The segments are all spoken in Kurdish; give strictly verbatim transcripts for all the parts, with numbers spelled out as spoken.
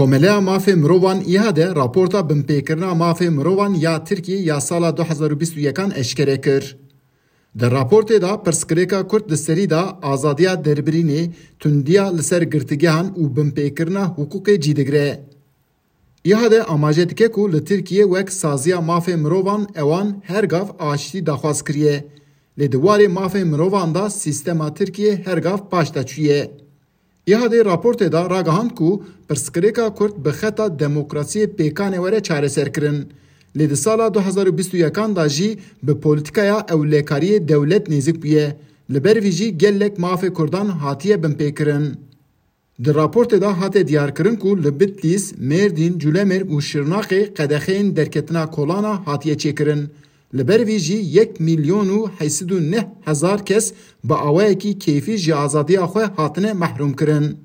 Komeleya Mafê Mirovan, İHA'de, raporta binpêkirina mafê mirovan ya Tirkiyê ya sala du hezar û bîst û yekan eşkere kir. Di raportê de pirsgirêka Kurd di serî de azadiya derbirînê, tundiya li ser girtigehan û binpêkirina hiqûqê cî digire. İHA'de amaje dike ku li Tirkiyê wek saziya mafê mirovan ewan her gav aştî daxwaz kiriye. Lê di warê mafê mirovan de sîstema Tirkiyê her gav paş de çûye. İHA'de raportê de ragihand ku pirsgirêka Kurd bi xeta demokrasiyê pêkanê were çareserkirin. Lê di sala du hezar û bîst û yekan de jî bi polîtîkaya ewlekariyê dewlet nêzik bûye. Li ber vî jî gelek mafê Kurdan hatiye binpêkirin. Di raportê de hate diyarkirin ku li Bitlîs, Mêrdîn, Culemêr û Şirnaxê qedexeyên derketina kolana hatiye çêkirin. Li ber vî jî yek milyon û heyt sed û neh hezar kes bi awayekî keyfî ji azadiya xwe hatine mehrûmkirin.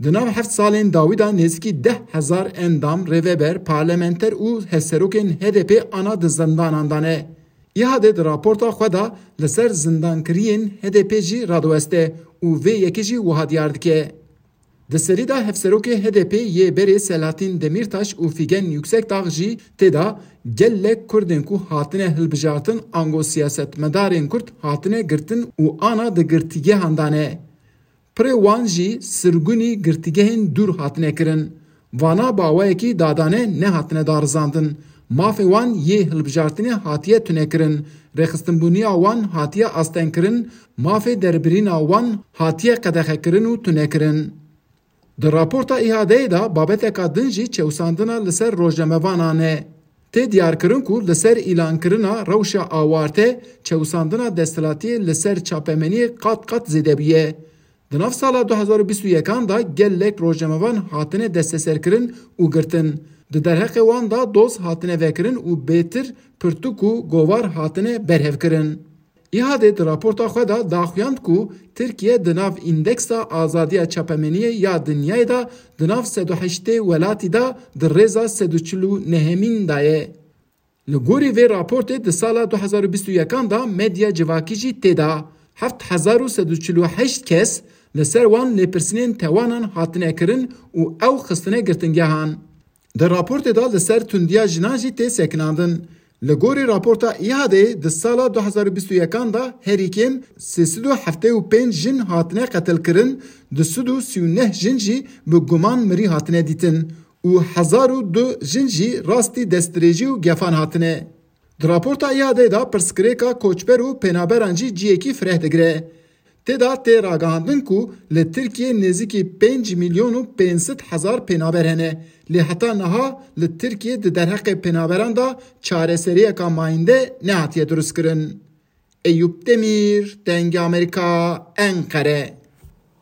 Di nav heft salên dawî de nêzîkî deh hezar endam, rêveber, parlamenter û hevserokên H D P ana di zindanan de ne. İHA'de di raporta xwe de li ser zindankiriyên H D P jî radiweste û vê yekê jî wiha diyar dike. Di serî de hevserokê H D P yê berê Selahattin Demirtaş û Figen Yüksekdağ jî tê de gelek Kurdên ku hatine hilbijartin ango siyasetmedarên Kurd hatine girtin û ana di girtîgehan de ne. Pirê wan jî sirgûnî girtîgehên dûr hatine kirin. Vana bi awayekî dadane nehatine darizandin. Mafê wan yê hilbijartinê hatiye tunekirin. Rêxistinbûniya wan hatiye astengkirin, mafê derbirîna wan hatiye qedexekirin û tunekirin. Di raporta İHA'deyê de babeteka din jî çewsandina li ser rojnamevanan e. Tê diyarkirin ku li ser îlankirina rewşa awarte çewsandina desthilatiyê li ser çapemeniyê qat qat zêde bûye. Di nav sala du hezar û bîst û yekan de gelek rojnamevan hatine desteserkirin û girtin. Di derheqê wan de doz hatine vekirin û bêtir pirtûk û govar hatine berhevkirin. İHA'de di raporta xwe de daxuyand ku Tirkiye di nav îndeksa azadiya çapemeniyê ya dinyayê de di nav sed û heştê welatî de di rêza sed û çil û nehemîn de ye. Li gorî vê raportê di sala du hezar û bîst û yekan de medya civakî jî tê de. Heft hezar û sed û çil û heşt kes li ser wan lêpirsînên tewanan hatine kirin û ew xistine girtingehan. Di raportê de li ser tundiya jinan jî tê sekinandin. Li gorî raporta İHA'dê di sala du hezar û bîst û yekan de herî kêm sê sed û heftê û pênc jin hatine qetilkirin, du sed û sî û neh jin jî bi guman mirî hatine dîtin û hezar û du jin jî rastî destdirêjî û gefan hatine. Di raporta İHA'dê de pirsgirêka koçber û pênaberan jî ciyekî fireh digire. Tê de tê ragihandin ku li Tirkiyê nêzîkî pênc milyon û pênc sed hezar pênaber hene. Lê heta niha li Tirkiyê di derheqê pênaberan de çareseriyeka mayînde nehatiye dirustkirin. Eyûp Demîr, Dengê Amerîka, Enqere.